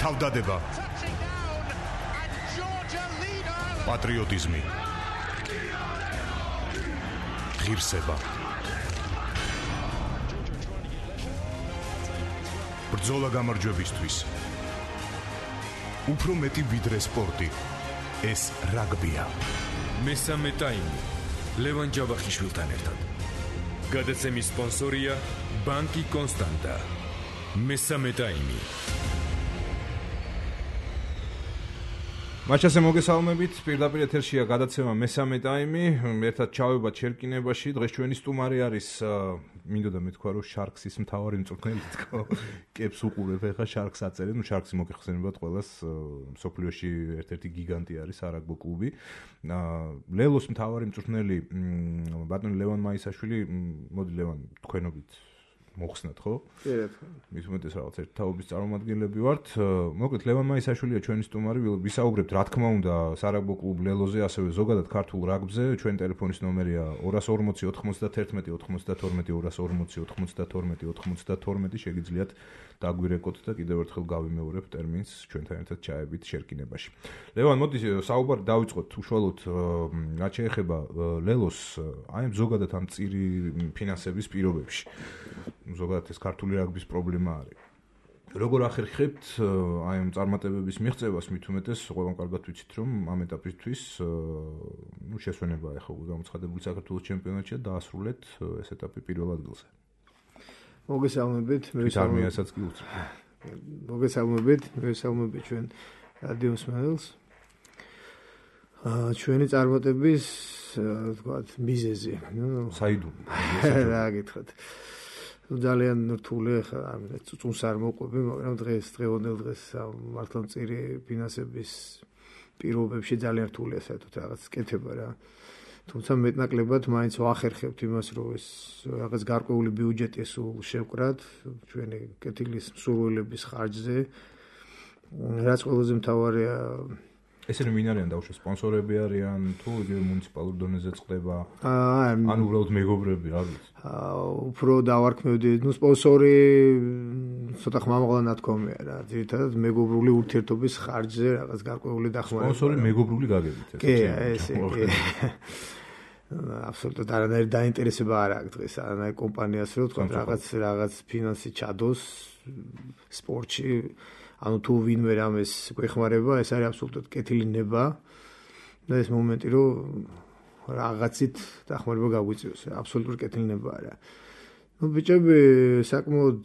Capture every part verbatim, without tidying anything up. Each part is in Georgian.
თავდადება, პატრიოტიზმი, ღირსება, ბრძოლა გამარჯვებისთვის. უფრო მეტი ვიდრე სპორტი. ეს რაგბია. მესამე ტაიმი. ლევან ჯავახიშვილთან ერთად. გადაცემის სპონსორია ბანკი კონსტანტა. მესამე ტაიმი. მაჩასე მოგესალმებით, პირდაპირ ეთერშია გადაცემა მესამე ტაიმი, ერთად ჩავებათ შერკინებაში. დღეს ჩვენი სტუმარი არის, მინდოდა მეთქვა, რომ შარქსის მთავარი მწვრთნელი თქო, კებს უყურებ, ეხა შარქს აწერენ, ნუ შარქსი მოგეხსენებათ ყველას, მსოფლიოში ერთ-ერთი გიგანტი არის არაგბო კლუბი. ლელოს მთავარი მწვრთნელი ბატონი ლევან მაისაშვილი, მოდი ლევან, თქვენობით მოხსნათ, ხო? კი, მის უმეტეს რაღაც ერთ თაობის წარმომადგენლები ვართ. მოკლედ ლევან მაისაშვილია ჩვენი სტუმარი, ვისაუბრებთ რა თქმა უნდა სარაგბო კლუბ ლელოზე, ასევე ზოგადად ქართულ რაგბზე. ჩვენი ტელეფონის ნომერია ორას ორმოცი ოთხმოცდათერთმეტი ოთხმოცდათორმეტი ორას ორმოცი ოთხმოცდათორმეტი ოთხმოცდათორმეტი. შეგიძლიათ დაგვირეკოთ და კიდევ ერთხელ გავიმეორებ ტერმინს ჩვენთან ერთად ჩაებით შერკინებაში. ლევან, მოდი საუბარი დავიწყოთ უშუალოდ რაც შეეხება ლელოს, აი ზოგადად ამ წირი ფინანსების პირობებში. ზოგადად ეს ქართული რაგბის პრობლემა არის. როგორ ახერხებთ აი ამ წარმატებების მიღწევას, მით უმეტეს ყველამ კარგად ვიცით, რომ ამ ეტაპისთვის ნუ შესვენება ახლა გამოცხადებული საქართველოს ჩემპიონატში დაასრულეთ ეს ეტაპი პირველ ადგილზე. მოგესალმებით, მოგესალმებით კი უწევ. მოგესალმებით, მოგესალმებით ჩვენ რადიო მსმენელს. აა ჩვენი წარმატების თქვათ მიზეზი, ნუ საიდუმლო. რა გითხრათ. ძალიან რთული ხა ამით წუწუნს არ მოყვები, მაგრამ დღეს დღევანდელ დღეს მართლმწირი ფინანსების პირობებში ძალიან რთულია საერთოდ რაღაც კეთება რა. თუმცა მეტნაკლებად მაინც ვახერხებთ იმას, რომ ეს რაღაც გარკვეული ბიუჯეტი სულ შევკრათ ჩვენი კეთილის მსურველების ხარჯზე. რაც ყველაზე მთავარია, ესენი ვინ არიან დაუშვა სპონსორები არიან თუ იგივე მუნიციპალურ დონეზე წყდება? აა ან უბრალოდ მეგობრები, რა ვიცი. აა უფრო დავარქმევდი, ნუ სპონსორი ცოტა ხმამაღლა ნათქვამია რა. ძირითადად მეგობრული ურთიერთობის ხარჯზე რაღაც გარკვეული დახმარება. სპონსორი მეგობრული გაგებით ეს. კი, ესე კი. აბსოლუტურად არანაირი დაინტერესება არ აქვს დღეს არანაირ კომპანიას, რომ თქვა რაღაც რაღაც ფინანსი ჩადოს სპორტში. ანუ თუ ვინმე რამეს გვეხმარება, ეს არის აბსოლუტურად კეთილი ნება და ეს მომენტი, რომ რაღაცით დახმარება გაგვიწევს, აბსოლუტურად კეთილი ნება არა. ნუ ბიჭები საკმაოდ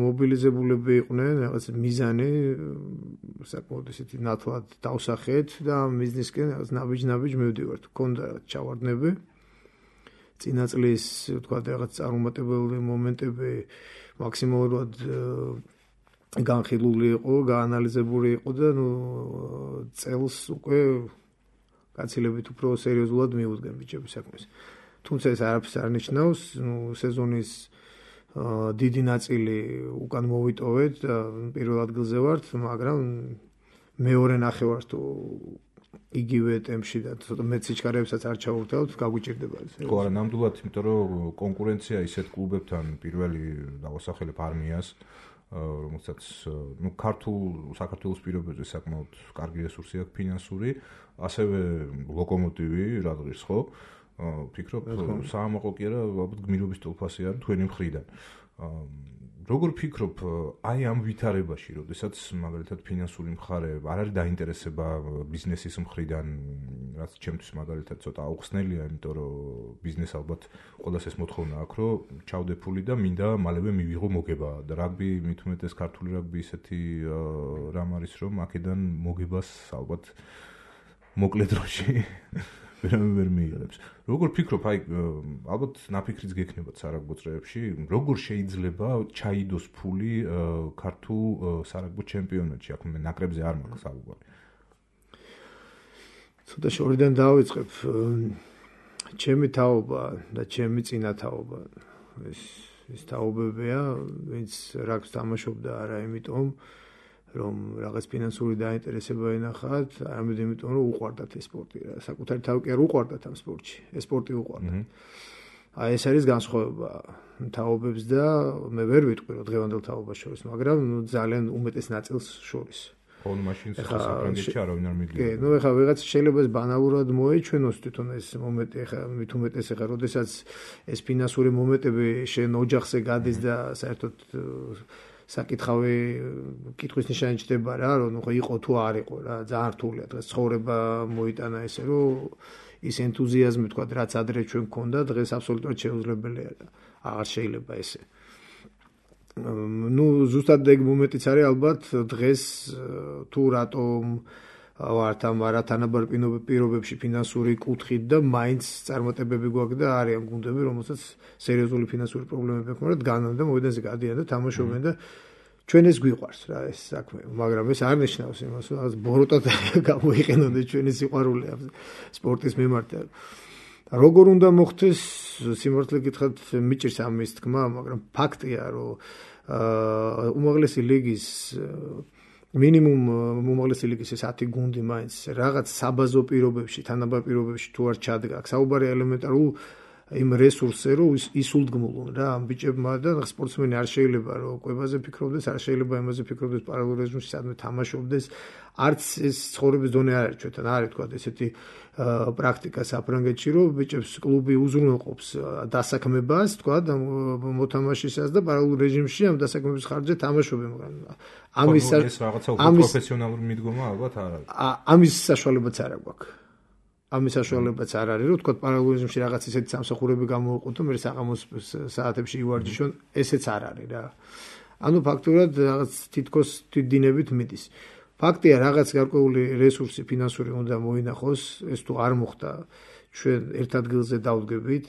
მობილიზებულები იყვნენ, რაღაც მიზანი საკმაოდ ისეთი ნათლად დავსახეთ და მიზნისკენ რაღაც ნაბიჯ-ნაბიჯ მივდივართ. გქონდა რაღაც ჩავარდნები. წინა წლის თქვა რაღაც წარუმატებელი მომენტები მაქსიმალურად განხილული იყო, გაანალიზებული იყო და ნუ წელს უკვე გაცილებით უფრო სერიოზულად მიუძღენ ბიჭები საქმეს. თუმცა ეს არაფერს არ ნიშნავს, ნუ სეზონის დიდი ნაწილი უკან მოვიტოვეთ და პირველ ადგილზე ვართ, მაგრამ მეორე ნახევარს თუ იგივე ტემპში და ცოტა მეც სიჩქარეებსაც არ ჩავურთავთ, გაგვიჭირდება ეს. ხო, არა, ნამდვილად, იმიტომ რომ კონკურენცია ისეთ კლუბებთან პირველი დავასახელებ არმიას, რომელსაც ნუ ქართულ საქართველოს პირობებზე საკმაოდ კარგი რესურსი აქვს ფინანსური, ასევე ლოკომოტივი რა დღის ხო? ფიქრობ, საამაყო კი არა, ალბათ გმირობის ტოლფასი არის თქვენი მხრიდან. როგორ ფიქრობ, აი ამ ვითარებაში, როდესაც მაგალითად ფინანსური მხარე არ არის დაინტერესება ბიზნესის მხრიდან, რაც ჩემთვის მაგალითად ცოტა აუხსნელია, იმიტომ რომ ბიზნეს ალბათ ყველას ეს მოთხოვნა აქვს, რომ ჩავდე ფული და მინდა მალევე მივიღო მოგება და რაგბი, მით უმეტეს ქართული რაგბი ისეთი რამ არის, რომ აქედან მოგებას ალბათ მოკლე დროში ვერავინ ვერ მიიღებს. როგორ ფიქრობ, აი ალბათ ნაფიქრიც გექნებათ სარაგბო წრეებში, როგორ შეიძლება ჩაიდოს ფული ქართულ სარაგბო ჩემპიონატში, აქ მე ნაკრებზე არ მაქვს საუბარი. ცოტა შორიდან დავიწყებ. ჩემი თაობა და ჩემი წინა თაობა ეს ეს თაობებია, ვინც რაგბს თამაშობდა არა იმიტომ რომ რაღაც ფინანსური დაინტერესება ენახათ, არამედ იმიტომ რომ უყვარდათ ეს სპორტი. საკუთარი თავი კი არ უყვარდათ ამ სპორტში. ეს სპორტი უყვარდათ. აი ეს არის განსხვავება თაობებს და მე ვერ ვიტყვი რომ დღევანდელ თაობას შორის, მაგრამ ძალიან უმეტეს ნაწილს შორის. ხო, მაშინ საფრანგეთში არავინ არ მიდიოდა. კი, ნუ ეხლა ვიღაც შეიძლება ეს ბანალურად მოეჩვენოს თვითონ ეს მომენტი, ეხლა მით უმეტეს ეხლა როდესაც ეს ფინანსური მომენტები შენ ოჯახზე გადის და საერთოდ საკითხავი კითხვის ნიშანი ჩდება რა, რომ ხო იყო თუ არ იყო რა, ძალიან რთულია დღეს ცხოვრება მოიტანა ესე, რომ ის ენთუზიაზმი თქვა, რაც ადრე ჩვენ გქონდა, დღეს აბსოლუტურად შეუძლებელია და აღარ შეიძლება ესე. ნუ ზუსტად ეგ მომენტიც არის ალბათ დღეს თუ რატომ ვართ ამ არათანაბარ პირობებში ფინანსური კუთხით და მაინც წარმატებები გვაქვს და არიან გუნდები, რომელსაც სერიოზული ფინანსური პრობლემები აქვს, მაგრამ განან და მოედანზე გადიან და თამაშობენ და ჩვენ ეს გვიყვარს რა ეს საქმე, მაგრამ ეს არ ნიშნავს იმას, რომ რაღაც ბოროტად გამოიყენონ ჩვენი სიყვარული ამ სპორტის მიმართ. როგორ უნდა მოხდეს, სიმართლე გითხრათ, მიჭირს ამის თქმა, მაგრამ ფაქტია, რომ უმაღლესი ლიგის მინიმუმ უმაღლესი ლიგის ეს ათი გუნდი მაინც რაღაც საბაზო პირობებში, თანაბარ პირობებში თუ არ ჩადგა, საუბარია ელემენტარულ იმ რესურსზე, რომ ისულდგმულონ რა ამ ბიჭებმა და სპორტსმენი არ შეიძლება რომ კვებაზე ფიქრობდეს, არ შეიძლება იმაზე ფიქრობდეს პარალელურ რეჟიმში სადმე თამაშობდეს, არც ეს ცხოვრების დონე არ არის ჩვენთან, არის თქვა ესეთი პრაქტიკა საფრანგეთში, რომ ბიჭებს კლუბი უზრუნველყოფს დასაქმებას, თქვა და მოთამაშისას და პარალელურ რეჟიმში ამ დასაქმების ხარჯზე თამაშობენ, მაგრამ ამის ეს რაღაცა უფრო პროფესიონალური მიდგომა ალბათ არ არის. ამის საშუალებაც არ აქვს. ამის საშუალებაც არ არის, რომ თქვა პარალელურ რეჟიმში რაღაც ისეთი სამსახურები გამოვიყოთ და მე საღამოს საათებში ივარჯიშონ, ესეც არ არის რა. ანუ ფაქტურად რაღაც თითქოს თვითდინებით მიდის. ფაქტია, რაღაც გარკვეული რესურსი ფინანსური უნდა მოინახოს, ეს თუ არ მოხდა, ჩვენ ერთ ადგილზე დავდგებით,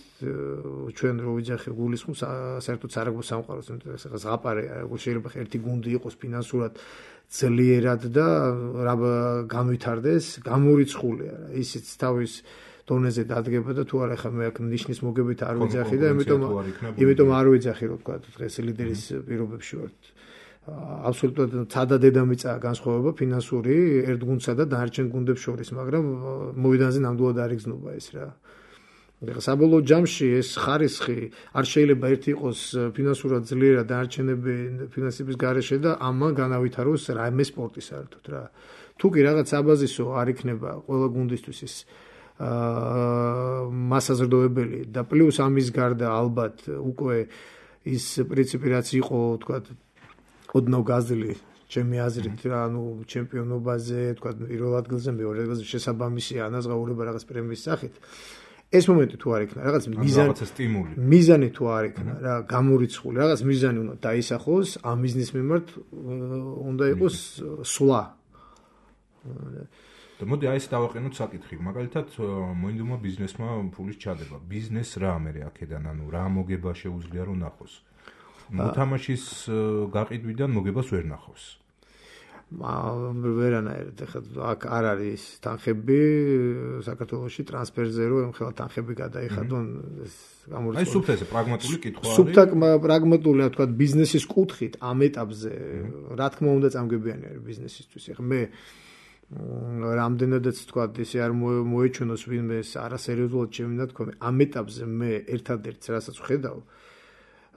ჩვენ რო ვიძახი გულისხმობს საერთოდ სარაგბო სამყაროს, ეს ზღაპარე, შეიძლება ერთი გუნდი იყოს ფინანსურად ძლიერად და რა განვითარდეს, გამორიცხულია რა. ისიც თავის დონეზე დადგება და თუ არა ხა მე აქ ნიშნის მოგებით არ ვიძახი და იმიტომ იმიტომ არ ვიძახი რომ თქვა დღეს ლიდერის პირობებში ვართ. აბსოლუტურად ცადა დედამიწა განსხვავება ფინანსური ერთ გუნდსა და დანარჩენ გუნდებს შორის, მაგრამ მოედანზე ნამდვილად არ იგრძნობა ეს რა. ეხლა საბოლოო ჯამში ეს ხარისხი არ შეიძლება ერთი იყოს ფინანსურად ძლიერად დანარჩენები ფინანსების გარეშე და ამან განავითაროს რაიმე სპორტი საერთოდ რა. თუ კი რაღაც საბაზისო არ იქნება ყველა გუნდისთვის ეს მასაზრდოებელი და პლუს ამის გარდა ალბათ უკვე ის პრინციპი რაც იყო თქვა ოდნავ გაზრდილი ჩემი აზრით რა, ანუ ჩემპიონობაზე, თქვა პირველ ადგილზე, მეორე ადგილზე შესაბამისი ანაზღაურება რაღაც პრემიის სახით. ეს მომენტი თუ არ იქნა, რაღაც მიზანი, სტიმული. მიზანი თუ არ იქნა, რა, გამორიცხული, რაღაც მიზანი უნდა დაისახოს, ამ მიზნის მიმართ უნდა იყოს სვლა. და მოდი აი ეს დავაყენოთ საკითხი. მაგალითად, მოინდომა ბიზნესმა ფულის ჩადება. ბიზნეს რა მე აქედან, ანუ რა მოგება შეუძლია რომ ნახოს. მოთამაშის გაყიდვიდან მოგებას ვერ ნახავს. ვერანაირად ახლა აქ არ არის თანხები საქართველოში ტრანსფერზე რომ ხელა თანხები გადაიხადონ ეს გამორიცხული. აი სუფთაზე პრაგმატული კითხვა არის. სუფთა პრაგმატული თქვა ბიზნესის კუთხით ამ ეტაპზე რა თქმა უნდა წამგებიანი არის ბიზნესისთვის. ახლა მე რამდენადაც თქვა ესე არ მოეჩვენოს ვინმე არასერიოზულად შემინდა თქვა ამ ეტაპზე მე ერთადერთს რასაც ვხედავ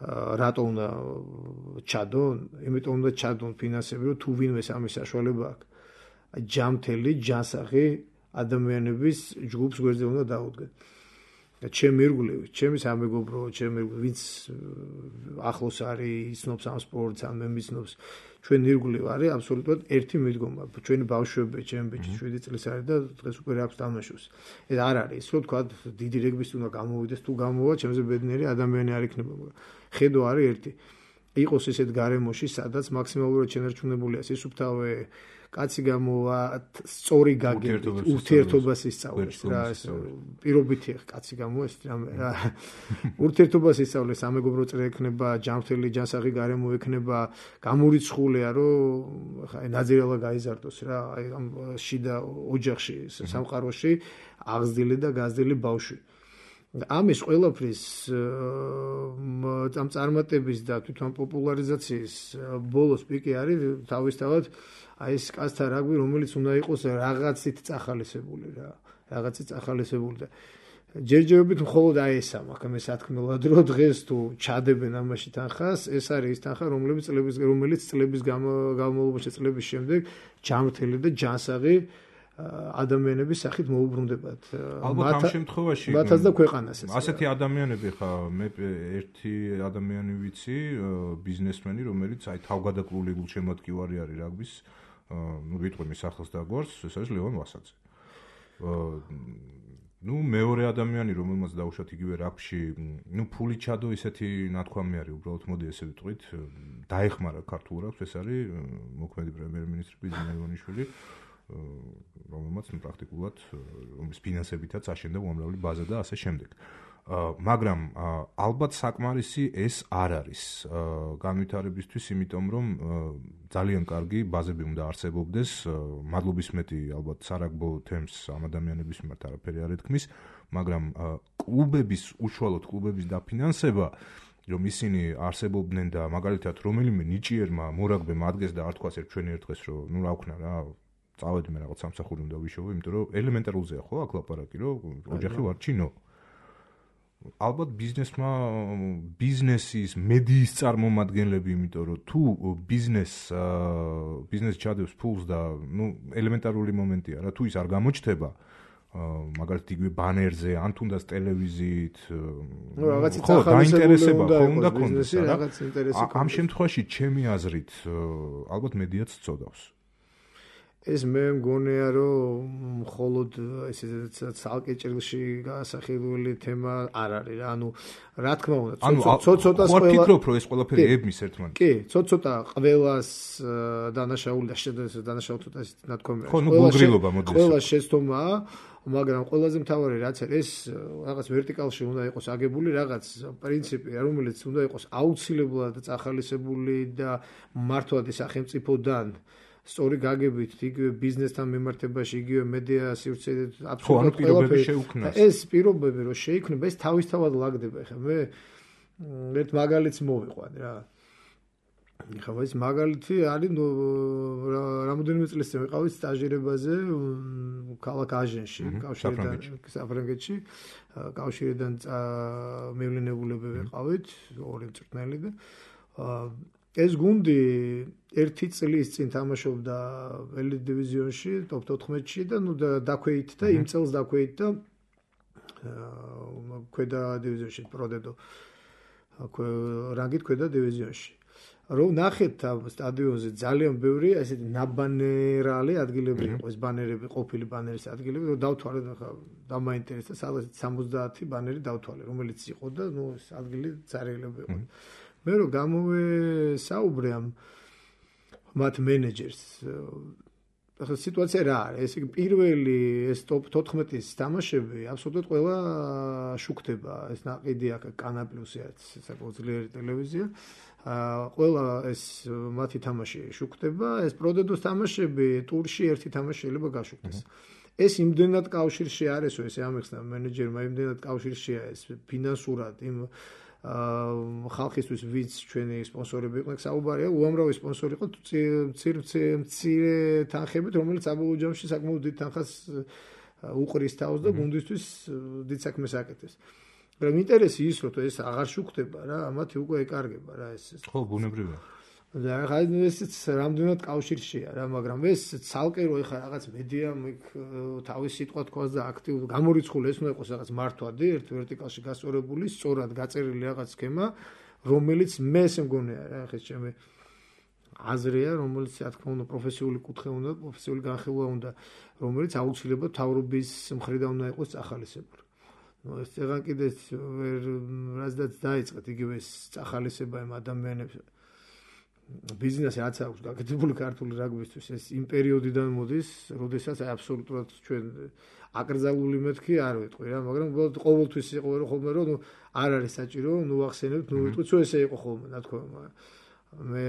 რატო უნდა ჩადონ? იმიტომ უნდა ჩადონ ფინანსები, რომ თუ ვინმე ამის საშუალება აქვს, ჯამთელი, ჯანსაღი ადამიანების ჯგუფს გვერდზე უნდა დაუდგენ. ჩემი ირგვლივ, ჩემი სამეგობრო, ჩემი ვინც ახლოს არის, იცნობს ამ სპორტს, ამ მემიცნობს, ჩვენ ირგვლივ არის აბსოლუტურად ერთი მიდგომა. ჩვენი ბავშვები, ჩემი ბიჭი შვიდი წლის არის და დღეს უკვე აქვს თამაშობს. ეს არ არის, რომ თქვა დიდი რეგბის უნდა გამოვიდეს, თუ გამოვა, ჩემზე ბედნიერი ადამიანი არ იქნება, მაგრამ ხედო არის ერთი. იყოს ესეთ გარემოში, სადაც მაქსიმალურად შენარჩუნებულია სისუფთავე, კაცი გამოვა, სწორი გაგებით, ურთიერთობას ისწავლეს რა, ეს პირობითი კაცი გამოვა ეს რა. ურთიერთობას ისწავლეს, სამეგობრო წრე ექნება, ჯანმრთელი ჯანსაღი გარემო ექნება, გამორიცხულია, რომ ხა ნაძირალა გაიზარდოს რა, აი ამ შიდა ოჯახში, სამყაროში აღზრდილი და გაზრდილი ბავშვი. ამის ყველაფრის ამ წარმატების და თვითონ პოპულარიზაციის ბოლოს პიკი არის თავისთავად აი ეს კაცთა რაგბი, რომელიც უნდა იყოს რაღაცით წახალისებული რა, რაღაცით წახალისებული და ჯერჯერობით მხოლოდ აი ეს ამაქვს მე სათქმელად რომ დღეს თუ ჩადებენ ამაში თანხას ეს არის ის თანხა რომლებიც წლების რომელიც წლების განმავლობაში წლების შემდეგ ჯანმრთელი და ჯანსაღი ადამიანების სახით მოუბრუნდებათ ალბათ ამ შემთხვევაში მათაც და ქვეყანასაც ასეთი ადამიანები ხა მე ერთი ადამიანი ვიცი ბიზნესმენი რომელიც აი თავგადაკრული გულშემატკივარი არის რაგბის ну ვიტყვი მის სახელს და გვარს ეს არის ლევან ვასაძე ну მეორე ადამიანი რომელმაც დაუშვათ იგივე რაგბში ну ფული ჩადო ისეთი ნათქვამი არის უბრალოდ მოდი ესე ვიტყვით დაეხმარა ქართულ რაგბს ეს არის მოქმედი პრემიერ-მინისტრი ბიძინა ივანიშვილი რომელმაც პრაქტიკულად რომლის ფინანსებითაც აშენდა უამრავი ბაზა და ასე შემდეგ. მაგრამ ალბათ საკმარისი ეს არ არის განვითარებისთვის, იმიტომ რომ ძალიან კარგი ბაზები უნდა არსებობდეს, მადლობის მეტი ალბათ სარაგბო თემს ამ ადამიანების მიმართ არაფერი არ ეთქმის, მაგრამ კლუბების უშუალოდ კლუბების დაფინანსება რომ ისინი არსებობდნენ და მაგალითად რომელიმე ნიჭიერმა მორაგბემ ადგეს და არ თქვას ერთ ჩვენი ერთ დღეს რომ ნუ რა ვქნა რა წავედი მე რაღაც სამსახური უნდა ვიშოვე, იმიტომ რომ ელემენტარულზეა ხო აქ ლაპარაკი, რომ ოჯახი ვარ ჩინო. ალბათ ბიზნესმა ბიზნესის მედიის წარმომადგენლები, იმიტომ რომ თუ ბიზნეს ბიზნეს ჩადებს ფულს და ნუ ელემენტარული მომენტია რა, თუ ის არ გამოჩნდება მაგალითად იგივე ბანერზე, ან თუნდაც ტელევიზიით, ხო, დაინტერესება ხო უნდა ქონდეს რა. ამ შემთხვევაში ჩემი აზრით ალბათ მედიაც წოდავს. ეს მე მგონია რომ მხოლოდ ესე ცალკე ჭრილში გასახილველი თემა არ არის რა ანუ რა თქმა უნდა ცოტ-ცოტას ყველა ვფიქრობ რომ ეს ყველაფერი ებმის ერთმანეთს კი ცოტ-ცოტა ყველას დანაშაული და შედეგს დანაშაული ცოტა ის ნათქვამი ხო ნუ გულგრილობა მოდის ყველა შეცდომაა მაგრამ ყველაზე მთავარი რაც არის ეს რაღაც ვერტიკალში უნდა იყოს აგებული რაღაც პრინციპი რომელიც უნდა იყოს აუცილებლად წახალისებული და მართვადი სახელმწიფოდან სწორი გაგებით იგივე ბიზნესთან მიმართებაში იგივე მედია სივრცეზე აბსოლუტურად პირობები შეუქმნას ეს პირობები რომ შეიქმნება ეს თავისთავად ლაგდება ხა მე ერთ მაგალითს მოვიყვან რა ხა ეს მაგალითი არის რამოდენიმე წლის წინ ვიყავით სტაჟირებაზე ქალაქ აჟენში კავშირიდან საფრანგეთში კავშირიდან მივლინებულები ვიყავით ორი მწვრთნელი და ეს გუნდი ერთი წლის წინ თამაშობდა ელიტ დივიზიონში, ტოპ თოთხმეტში და ნუ დაქვეით და იმ წელს დაქვეით და ქვედა დივიზიონში პროდედო. აქვე რანგით ქვედა დივიზიონში. რომ ნახეთ ამ სტადიონზე ძალიან ბევრი ესეთი ნაბანერალი ადგილები იყო, ეს ბანერები, ყოფილი ბანერის ადგილები, რომ დავთვალე ხა დამაინტერესდა, სადაც სამოცდაათი ბანერი დავთვალე, რომელიც იყო და ნუ ეს ადგილი წარიელები იყო. მე რომ გამოვესაუბრე ამ მათ მენეჯერს ახლა სიტუაცია რა არის ესე იგი პირველი ეს ტოპ თოთხმეტის თამაშები აბსოლუტურად ყველა შუქდება ეს ნაყიდი აქ კანა პლუსი არის საკუთარი ძლიერი ტელევიზია ყველა ეს მათი თამაში შუქდება ეს პროდედოს თამაშები ტურში ერთი თამაში შეიძლება გაშუქდეს ეს იმდენად კავშირში არისო ეს ამეხსნა მენეჯერმა იმდენად კავშირშია ეს ფინანსურად იმ ხალხისთვის ვინც ჩვენი სპონსორები იყვნენ საუბარია უამრავი სპონსორი იყო მცირე თანხებით რომელიც საბოლოო ჯამში საკმაოდ დიდ თანხას უყრის თავს და გუნდისთვის დიდ საქმეს აკეთებს მაგრამ ინტერესი ის რომ ეს აღარ შუქდება რა ამათი უკვე ეკარგება რა ეს ხო ბუნებრივია და ხა ესეც რამდენად კავშირშია რა მაგრამ ეს ცალკე რო ეხა რაღაც მედიამ იქ თავის სიტყვა თქვას და აქტიურ გამორიცხული ეს უნდა იყოს რაღაც მართვადი ერთ ვერტიკალში გასწორებული სწორად გაწერილი რაღაც სქემა რომელიც მე ესე მგონია რა ხა ჩემი აზრია რომელიც რა თქმა უნდა პროფესიული კუთხე უნდა პროფესიული განხილვა უნდა რომელიც აუცილებლად თავრობის მხრიდან უნდა იყოს წახალისებული ნუ ეს წეგან კიდე ვერ რაზდაც დაიწყეთ იგივე ეს წახალისება იმ ადამიანებს ბიზნესი რაც აქვს გაკეთებული ქართული რაგბისთვის ეს იმ პერიოდიდან მოდის, როდესაც აბსოლუტურად ჩვენ აკრძალული მეთქი არ ვეტყვი რა, მაგრამ ყოველთვის იყო რომ ხოლმე რომ ნუ არ არის საჭირო, ნუ ახსენებთ, ნუ ვიტყვით, თუ ესე იყო ხოლმე, რა თქმა უნდა. მე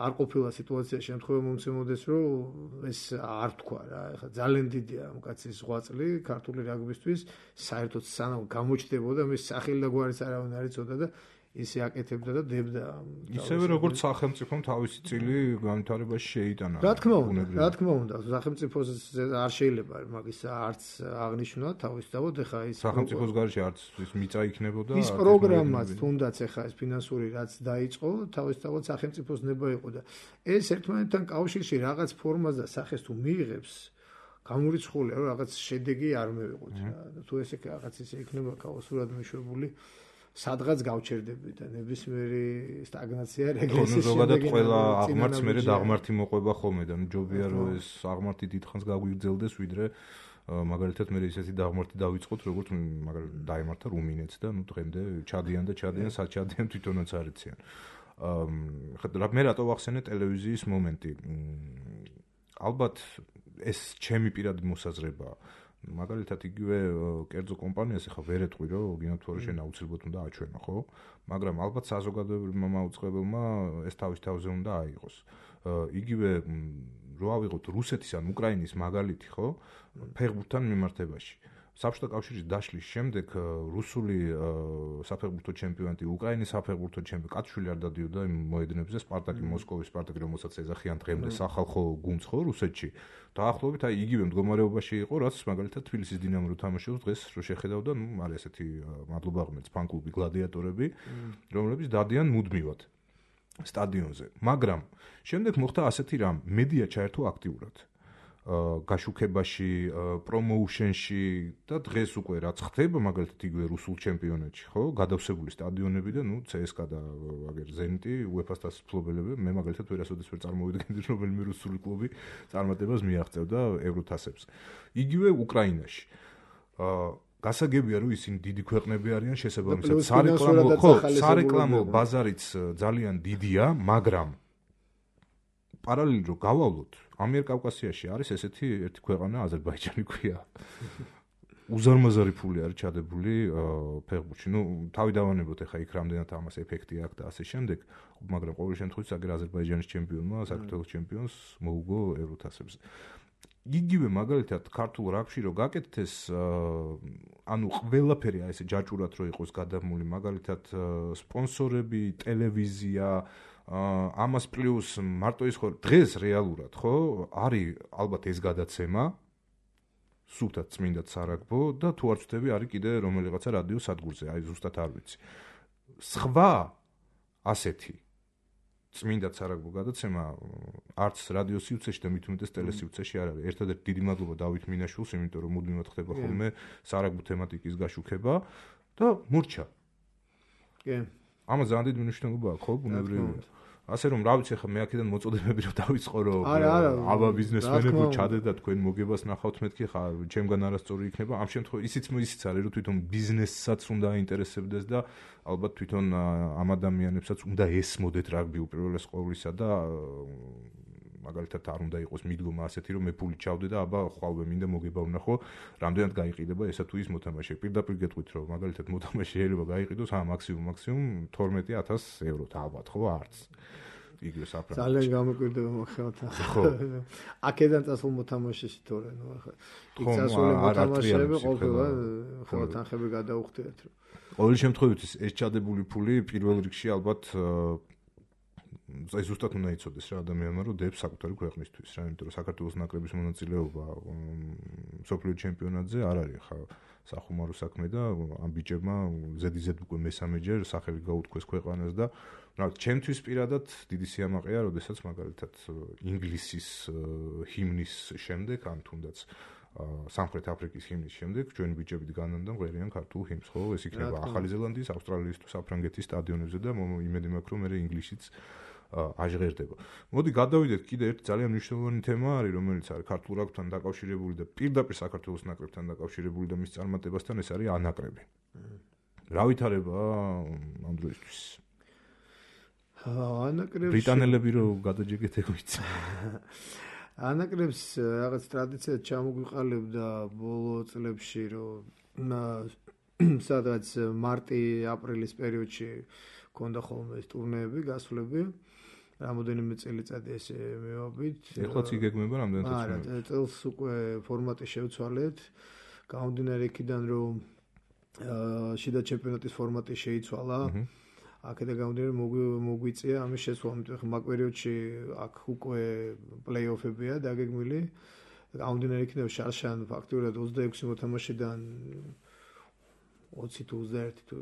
არ ყოფილა სიტუაცია შემთხვევა მომცემოდეს რომ ეს არ თქვა რა, ეხლა ძალიან დიდია ამ კაცის ღვაწლი ქართული რაგბისთვის, საერთოდ სანამ გამოჩნდებოდა მის სახელი და გვარიც არავინ არ იცოდა და ისე აკეთებდა და დებდა. ისევე როგორც სახელმწიფომ თავისი წილი განვითარებაში შეიტანა. რა თქმა უნდა, რა თქმა უნდა, სახელმწიფოს არ შეიძლება მაგის არც აღნიშნვა თავისთავად, ეხა ის სახელმწიფოს გარშე არც ის მიწა იქნებოდა. ის პროგრამაც თუნდაც ეხა ეს ფინანსური რაც დაიწყო, თავისთავად სახელმწიფოს ნება იყო და ეს ერთმანეთთან კავშირში რაღაც ფორმას და სახეს თუ მიიღებს, გამორიცხულია რომ რაღაც შედეგი არ მივიღოთ რა. თუ ესე რაღაც ისე იქნება ქაოსურად მეშვებული სადღაც გავჩერდები და ნებისმიერი სტაგნაცია რეგრესის ზოგადად ყველა აღმართს მერე დაღმართი მოყვება ხოლმე და ნუ ჯობია რომ ეს აღმართი დიდხანს გაგვიგრძელდეს ვიდრე მაგალითად მე ისეთი დაღმართი დავიწყოთ როგორც მაგალითად დაემართა რუმინეთს და ნუ დღემდე ჩადიან და ჩადიან სად ჩადიან თვითონაც არიციან. აა მე რატო ვახსენე ტელევიზიის მომენტი. ალბათ ეს ჩემი პირადი მოსაზრებაა. მაგალითად იგივე კერძო კომპანიას ახლა ვერ ეტყვი რომ გინათვარი შენ აუცილებლად უნდა აჩვენო, ხო? მაგრამ ალბათ საზოგადოებრივმა მაუწყებელმა ეს თავის თავზე უნდა აიღოს. იგივე რო ავიღოთ რუსეთის ან უკრაინის მაგალითი, ხო? ფეხბურთთან მიმართებაში. საბჭოთა კავშირის დაშლის შემდეგ რუსული საფეხბურთო ჩემპიონატი, უკრაინის საფეხბურთო ჩემპიონატი კაცშვილი არ დადიოდა იმ მოედნებზე, სპარტაკი მოსკოვის სპარტაკი, რომელსაც ეძახიან დღემდე სახალხო გუნდს, ხო, რუსეთში. დაახლოებით აი იგივე მდგომარეობაში იყო, რაც მაგალითად თბილისის დინამო რო თამაშობს დღეს რო შეხედავდა, ნუ არის ესეთი მადლობა ღმერთს ფან-კლუბი გლადიატორები, რომლებიც დადიან მუდმივად სტადიონზე. მაგრამ შემდეგ მოხდა ასეთი რამ, მედია ჩაერთო აქტიურად. გაშუქებაში, პრომოუშენში და დღეს უკვე რაც ხდება მაგალითად იგივე რუსულ ჩემპიონატში, ხო? გადავსებული სტადიონები და ნუ ცსკა და აგერ ზენიტი უეფას თასის მფლობელები, მე მაგალითად ვერასოდეს ვერ წარმოვიდგენდი რომ რომელიმე რუსული კლუბი წარმატებას მიაღწევდა ევროთასებს. იგივე უკრაინაში. გასაგებია რომ ისინი დიდი ქვეყნები არიან, შესაბამისად სარეკლამო, ხო, სარეკლამო ბაზარიც ძალიან დიდია, მაგრამ პარალელურად რო გავავლოთ, ამიერკავკასიაში არის ესეთი ერთი ქვეყანა, აზერბაიჯანი ქვია. უზარმაზარი ფული არის ჩადებული ფეხბურთში. ნუ თავი დავანებოთ ახლა იქ რამდენად ამას ეფექტი აქვს და ასე შემდეგ, მაგრამ ყოველ შემთხვევაში აგერ აზერბაიჯანის ჩემპიონმა, საქართველოს ჩემპიონს მოუგო ევროთასებზე. იგივე მაგალითად ქართულ რაგბში რო გაკეთეთ ეს ანუ ყველაფერი აი ესე ჯაჭურად რო იყოს გადამული, მაგალითად სპონსორები, ტელევიზია ამას პლუს მარტო ის ხო დღეს რეალურად ხო არის ალბათ ეს გადაცემა სულთად წმინდად სარაგბო და თუ არ ვწდები არის კიდე რომელიღაცა რადიო სადგურზე აი ზუსტად არ ვიცი სხვა ასეთი წმინდად სარაგბო გადაცემა არც რადიო სიუცეში და მით უმეტეს ტელესიუცეში არ არის. ერთადერთი დიდი მადლობა დავით მინაშვილს, იმიტომ რომ მუდმივად ხდება ხოლმე სარაგბო თემატიკის გაშუქება და მურჩა. კი. ამას ძალიან დიდი მნიშვნელობა აქვს, ხო, ბუნებრივია. ასე რომ რა ვიცი ხა მე აქედან მოწოდებები რომ დავიწყო რომ აბა ბიზნესმენებო ჩადეთ და თქვენ მოგებას ნახავთ მეთქი ხა ჩემგან არასწორი იქნება ამ შემთხვევაში ისიც ისიც არის რომ თვითონ ბიზნესსაც უნდა აინტერესებდეს და ალბათ თვითონ ამ ადამიანებსაც უნდა ესმოდეთ რაგბი უპირველეს ყოვლისა და მაგალითად არ უნდა იყოს მიდგომა ასეთი რომ მე ფული ჩავდე და აბა ხვალვე მინდა მოგება ვნახო რამდენად გაიყიდება ესა თუ ის მოთამაშე პირდაპირ გეტყვით რომ მაგალითად მოთამაშე შეიძლება გაიყიდოს ა მაქსიმუმ მაქსიმუმ თორმეტი ათას ევროთ ალბათ ხო არც იგივე საფრანგეთში ძალიან გამოკვირდება მოხელთა ხო აქედან წასულ მოთამაშეში თორე ნუ ახლა იქ წასული მოთამაშეები ყოველდღე ხო თანხები გადაუხდიათ რომ ყოველ შემთხვევაში ეს ჩადებული ფული პირველ რიგში ალბათ აი ზუსტად უნდა იცოდეს რა ადამიანმა რომ დებს საკუთარი ქვეყნისთვის რა იმიტომ რომ საქართველოს ნაკრების მონაწილეობა მსოფლიო ჩემპიონატზე არ არის ხა სახუმარო საქმე და ამ ბიჭებმა ზედიზედ უკვე მესამეჯერ სახელი გაუთქვეს ქვეყანას და რა ჩემთვის პირადად დიდი სიამაყეა როდესაც მაგალითად ინგლისის ჰიმნის შემდეგ ან თუნდაც სამხრეთ აფრიკის ჰიმნის შემდეგ ჩვენი ბიჭები დგანან და მღერიან ქართულ ჰიმნს ხო ეს იქნება ახალი ზელანდიის ავსტრალიის თუ საფრანგეთის სტადიონებზე და იმედი მაქვს რომ მე ინგლისშიც აჟღერდება. მოდი გადავიდეთ კიდე ერთი ძალიან მნიშვნელოვანი თემა არის, რომელიც არის ქართულ რაგბთან დაკავშირებული და პირდაპირ საქართველოს ნაკრებთან დაკავშირებული და მის წარმატებასთან ეს არის ანაკრები. რა ვითარება ამ დროისთვის? ანაკრებს ბრიტანელები რო გადაჯეგეთ ეგვიც. ანაკრებს რაღაც ტრადიციად ჩამოგვიყალიბდა ბოლო წლებში რომ სადაც მარტი-აპრილის პერიოდში ქონდა ხოლმე ეს ტურნეები, გასვლები. რამოდენიმე წელიწადი ესე მივაბით. ეხლაც იგეგმება რამდენად წელს? არა, წელს უკვე ფორმატი შევცვალეთ. გამომდინარე იქიდან რომ შიდა ჩემპიონატის ფორმატი შეიცვალა. აქედან გამომდინარე მოგვიწია ამის შესვლა, ამიტომ მაგ პერიოდში აქ უკვე პლეი-ოფებია დაგეგმილი. გამომდინარე იქნება შარშან ფაქტურად ოცდაექვსი მოთამაშედან ოცი თუ ოცდაერთი თუ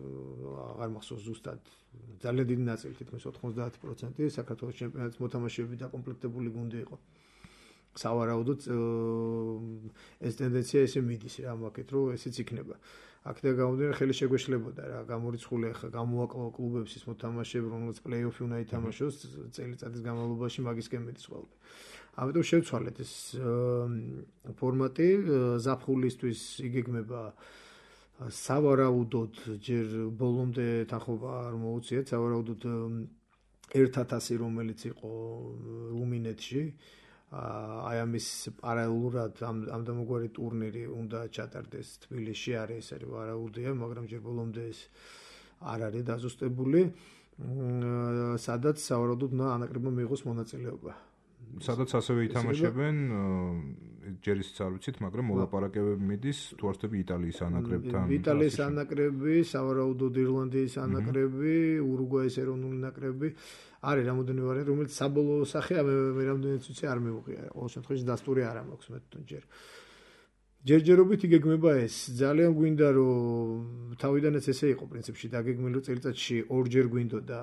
აღარ მახსოვს ზუსტად ძალიან დიდი ნაწილი თითქმის ოთხმოცდაათი პროცენტი საქართველოს ჩემპიონატის მოთამაშეები დაკომპლექტებული გუნდი იყო. სავარაუდოდ ეს ტენდენცია ესე მიდის რა მაგეთ რომ ესეც იქნება. აქედან გამომდინარე ხელი შეგვეშლებოდა რა გამორიცხული ახლა გამოაკლო კლუბებს ის მოთამაშეები რომლებიც პლეი-ოფი უნდა ითამაშოს წელიწადის განმავლობაში მაგისკენ მიდის ყველაფერი. ამიტომ შევცვალეთ ეს ფორმატი ზაფხულისთვის იგეგმება სავარაუდოდ ჯერ ბოლომდე თანხმობა არ მოუწიეთ სავარაუდოდ ერთ ათასი რომელიც იყო რუმინეთში აი ამის პარალელურად ამ ამ დამოგვარი ტურნირი უნდა ჩატარდეს თბილისში არის ეს არის ვარაუდია მაგრამ ჯერ ბოლომდე ეს არ არის დაზუსტებული სადაც სავარაუდოდ უნდა ანაკრებმა მიიღოს მონაწილეობა სადაც ასევე ითამაშებენ ჯერ ისიც არ ვიცით მაგრამ მოლაპარაკებები მიდის თუ არ ვთქვი იტალიის ანაკრებთან იტალიის ანაკრები სავარაუდოდ ირლანდიის ანაკრები ურუგვაის ეროვნული ნაკრები არის რამოდენიმე ვარიანტი რომელიც საბოლოო სახე მე რამდენიც ვიცი არ მივუღია ყოველ შემთხვევაში დასტური არ მაქვს მე თვითონ ჯერ ჯერჯერობით იგეგმება ეს ძალიან გვინდა რომ თავიდანაც ესე იყო პრინციპში დაგეგმილი რომ წელიწადში ორჯერ გვინდოდა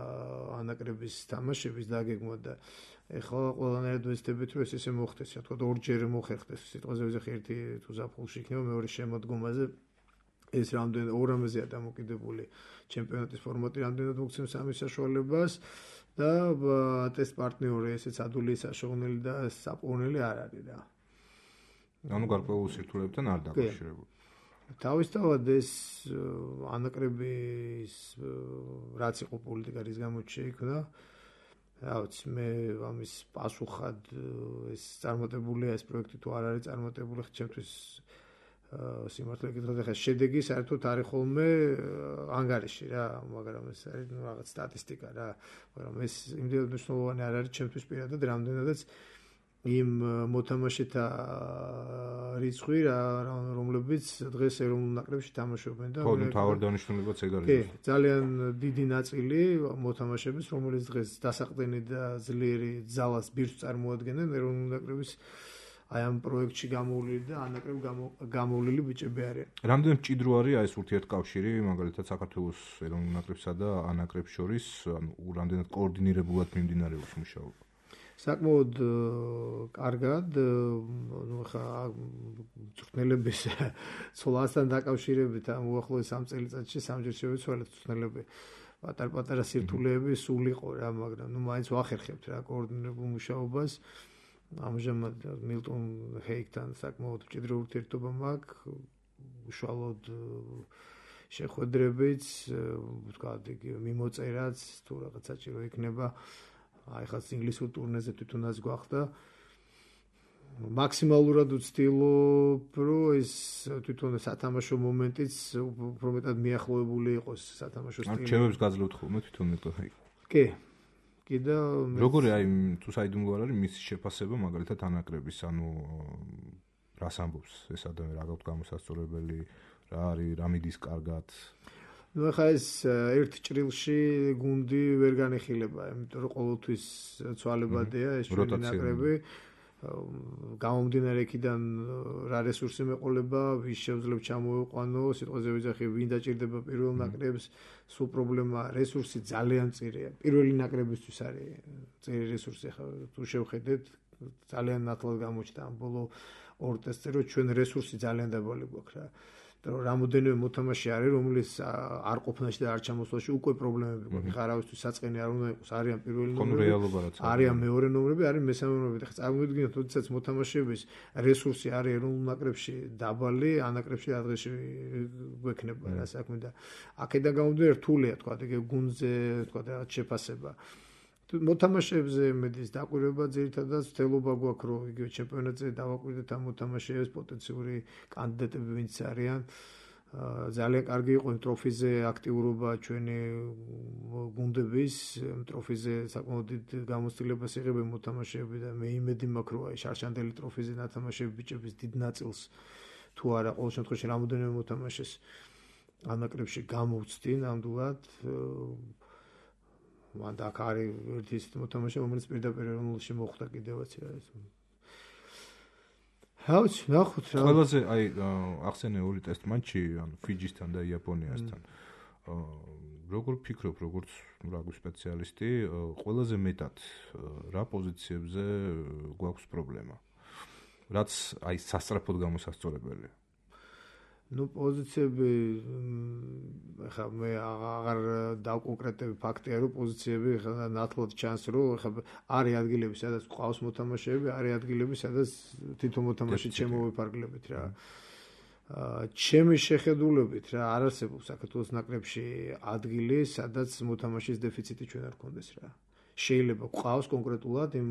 ანაკრების თამაშების დაგეგმა და ეხლა ყველანაირად ვეცდებით რომ ეს ესე მოხდეს რა თქმა უნდა ორჯერ მოხერხდეს სიტყვაზე ვიზახი ერთი თუ ზაფხულში იქნება მეორე შემოდგომაზე ეს რამდენ ორ ამაზეა დამოკიდებული ჩემპიონატის ფორმატი რამდენად მოგცემს ამის საშუალებას და ტესტ პარტნიორი ესეც ადვილი საშუალებელი და საპოვნელი არ არის რა ანუ გარკვეულ სირთულეებთან არ დაკავშირებული. თავისთავად ეს ანაკრების რაც იყო პოლიტიკა რის გამოც შეიქმნა რა ვიცი მე ამის პასუხად ეს წარმატებულია ეს პროექტი თუ არ არის წარმატებული ხა ჩემთვის სიმართლე გითხრათ ხა შედეგი საერთოდ არის ხოლმე ანგარიში რა მაგრამ ეს არის რაღაც სტატისტიკა რა მაგრამ ეს იმდენად მნიშვნელოვანი არ არის ჩემთვის პირადად რამდენადაც იმ მოთამაშეთა რიცხვი რომლებიც დღეს ეროვნულ ნაკრებში თამაშობენ და ხო ნუ თავად დანიშნულებაც ეგ არის. კი, ძალიან დიდი ნაწილი მოთამაშეების რომელიც დღეს დასაყრდენი და ძლიერი ძალას ბირთვს წარმოადგენენ ეროვნულ ნაკრების აი ამ პროექტში გამოვლილი და ანაკრებ გამოვლილი ბიჭები არიან. რამდენად მჭიდრო არის აი ეს ურთიერთკავშირი მაგალითად საქართველოს ეროვნულ ნაკრებსა და ანაკრებს შორის ანუ რამდენად კოორდინირებულად მიმდინარეობს მუშაობა. საკმაოდ კარგად ნუ ხა მწვრთნელების ცოლასთან დაკავშირებით ამ უახლოეს სამ წელიწადში სამჯერ შევეცვალეთ მწვრთნელები პატარ-პატარა სირთულეები სულ იყო რა მაგრამ ნუ მაინც ვახერხებთ რა კოორდინირებულ მუშაობას ამჟამად მილტონ ჰეიკთან საკმაოდ მჭიდრო ურთიერთობა მაქვს უშუალოდ შეხვედრებიც ვთქვათ იგი მიმოწერაც თუ რაღაც საჭირო იქნება აი ხა ინგლისურ ტურნეზე თვითონაც გვახდა მაქსიმალურად ვცდილობ რომ ეს თვითონ სათამაშო მომენტიც უფრო მეტად მიახლოებული იყოს სათამაშო სტილით. არჩევებს გაძლევთ ხოლმე თვითონ მეტად. კი. კი და როგორი აი თუ საიდუმლო არ არის მისი შეფასება მაგალითად ანაკრების ანუ რას ამბობს ეს ადამიანი რა გაქვთ გამოსასწორებელი რა არის რა მიდის კარგად ну ხა ეს ერთ ჭრილში გუნდი ვერ განიხილება, იმიტომ რომ ყოველთვის ცვალებადია ეს ჩვენი ნაკრები. გამომდინარე იქიდან რა რესურსი მეყოლება, ვის შეუძლებს ჩამოიყვანო, სიტყვაზე ვიზახი, ვინ დაჭირდება პირველ ნაკრებს, სულ პრობლემა რესურსი ძალიან მწირია. პირველი ნაკრებისთვის არის მწირი რესურსი, ხა თუ შევხედეთ, ძალიან ნათლად გამოჩნდა ამ ბოლო ორ ტესტზე, რომ ჩვენ რესურსი ძალიან დაბალი გვაქვს რა. რომ რამოდენიმე მოთამაშე არის, რომლის არ ყოფნაში და არ ჩამოსვლაში უკვე პრობლემები გვაქვს. ხა არავისთვის საწყენი არ უნდა იყოს, არიან პირველი ნომრები, არიან მეორე ნომრები, არის მესამე ნომრები. ხა წარმოვიდგინოთ, როდესაც მოთამაშეების რესურსი არის ეროვნულ ნაკრებში დაბალი, ანაკრებში ადრეში გვექნება რა საქმე და აქედან გამომდინარე რთულია თქვა ეგ გუნდზე თქვა რაღაც შეფასება. მოთამაშეებზე მედის დაკვირვება ძირითადად ვთელობა გვაქვს რომ იგივე ჩემპიონატზე დავაკვირდეთ ამ მოთამაშეებს პოტენციური კანდიდატები ვინც არიან ძალიან კარგი იყო იმ ტროფიზე აქტიურობა ჩვენი გუნდების ტროფიზე საკმაოდ დიდ გამოცდილებას იღებენ მოთამაშეები და მე იმედი მაქვს რომ აი შარშანდელი ტროფიზე ნათამაშეები ბიჭების დიდ ნაწილს თუ არა ყოველ შემთხვევაში რამოდენიმე მოთამაშეს ანაკრებში გამოვცდინ ნამდვილად მან და აქ არის ერთი ისეთი მოთამაშე, რომელიც პირდაპირ ეროვნულში მოხვდა კიდევაც რა ეს. ჰაუც, ნახოთ რა. ყველაზე აი ახსენე ორი ტესტ მატჩი, ანუ ფიჯისთან და იაპონიასთან. როგორ ფიქრობ, როგორც რაგვი სპეციალისტი, ყველაზე მეტად რა პოზიციებზე გვაქვს პრობლემა? რაც აი სასწრაფოდ გამოსასწორებელია. ну პოზიციები ხა მე აღარ დავკონკრეტები ფაქტია რომ პოზიციები ხა ნათლად ჩანს რომ ხა არის ადგილები სადაც ყავს მოთამაშეები, არის ადგილები სადაც თითო მოთამაშე შემოვიფარგლებით რა. ჩემი შეხედულებით რა არ არსებობს საქართველოს ნაკრებში ადგილი სადაც მოთამაშის დეფიციტი ჩვენ არ გქონდეს რა. შეიძლება ყავს კონკრეტულად იმ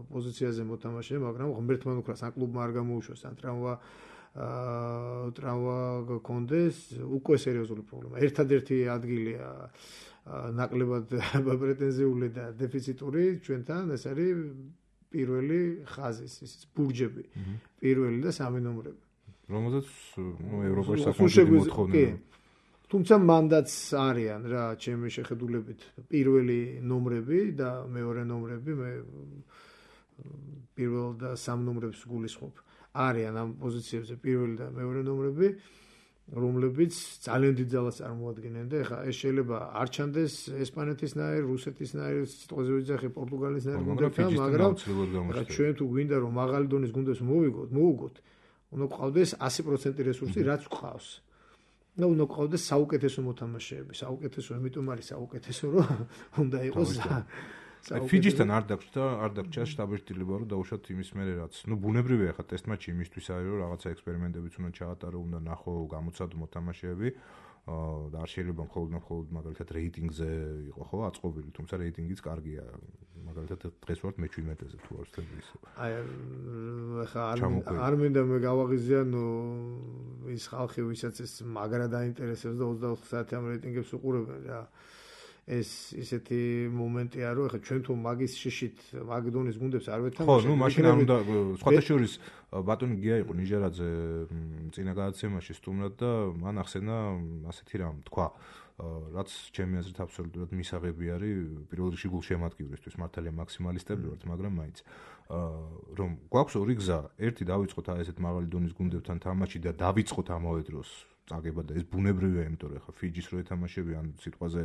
პოზიციაზე მოთამაშე, მაგრამ ღმერთმა უკრას ან კლუბმა არ გამოუშვას ან ტრავმა აა ტრავმა გქონდეს, უკვე სერიოზული პრობლემა. ერთადერთი ადგილია ნაკლებად პრეტენზიული და დეფიციტური ჩვენთან ეს არის პირველი ხაზის, ისიც ბურჯები. პირველი და სამი ნომრები. რომელზეც ნუ ევროპაში საკმაოდ მოთხოვნა. თუმცა მანდაც არიან რა ჩემი შეხედულებით პირველი ნომრები და მეორე ნომრები მე პირველ და სამ ნომრებს გულისხმობ. არიან ამ პოზიციებზე პირველი და მეორე ნომრები, რომლებიც ძალიან დიდ ძალას წარმოადგენენ და ეხლა ეს შეიძლება არ ჩანდეს ესპანეთისნაირ, რუსეთისნაირ, სიტყვაზე ვიძახი პორტუგალისნაირ გუნდებთან, მაგრამ ჩვენ თუ გვინდა რომ მაღალი დონის გუნდებს მოვიგოთ, მოუგოთ, უნდა გყავდეს ასი პროცენტი რესურსი, რაც გყავს. და უნდა გყავდეს საუკეთესო მოთამაშეები, საუკეთესო, იმიტომ არის საუკეთესო, რომ უნდა იყოს ფიჯისთან არ დაგჭდა, არ დაგჭა შტაბ-ერთილება რომ დაუშვათ იმის მერე რაც. ნუ ბუნებრივია ხა ტესტ მატჩი იმისთვის არის რომ რაღაცა ექსპერიმენტებიც უნდა ჩაატარო, უნდა ნახო გამოცადო მოთამაშეები. და არ შეიძლება მხოლოდ მხოლოდ მაგალითად რეიტინგზე იყო ხო აწყობილი, თუმცა რეიტინგიც კარგია. მაგალითად დღეს ვართ მე შვიდმეტეზე თუ არ ვთქვი ისე. აი ხა არ მინდა მე გავაღიზიან ის ხალხი ვისაც ეს მაგრა დაინტერესებს და ოცდაოთხ საათი ამ რეიტინგებს უყურებენ რა. ეს ისეთი მომენტია რომ ხა ჩვენ თუ მაგის შიშით მაგდონის გუნდებს არ ვეთამაშებთ. ხო, ნუ მაშინ არ უნდა სხვათა შორის ბატონი გია იყო ნიჟერაძე წინა გადაცემაში სტუმრად და მან ახსენა ასეთი რამ თქვა რაც ჩემი აზრით აბსოლუტურად მისაღები არის პირველ რიგში გულშემატკივრისთვის მართალია მაქსიმალისტები ვართ მაგრამ მაინც რომ გვაქვს ორი გზა ერთი დავიწყოთ აი ესეთ მაღალი დონის გუნდებთან თამაში და დავიწყოთ ამავე დროს წაგება და ეს ბუნებრივია იმიტომ რომ ხა ფიჯის რო ეთამაშები ან სიტყვაზე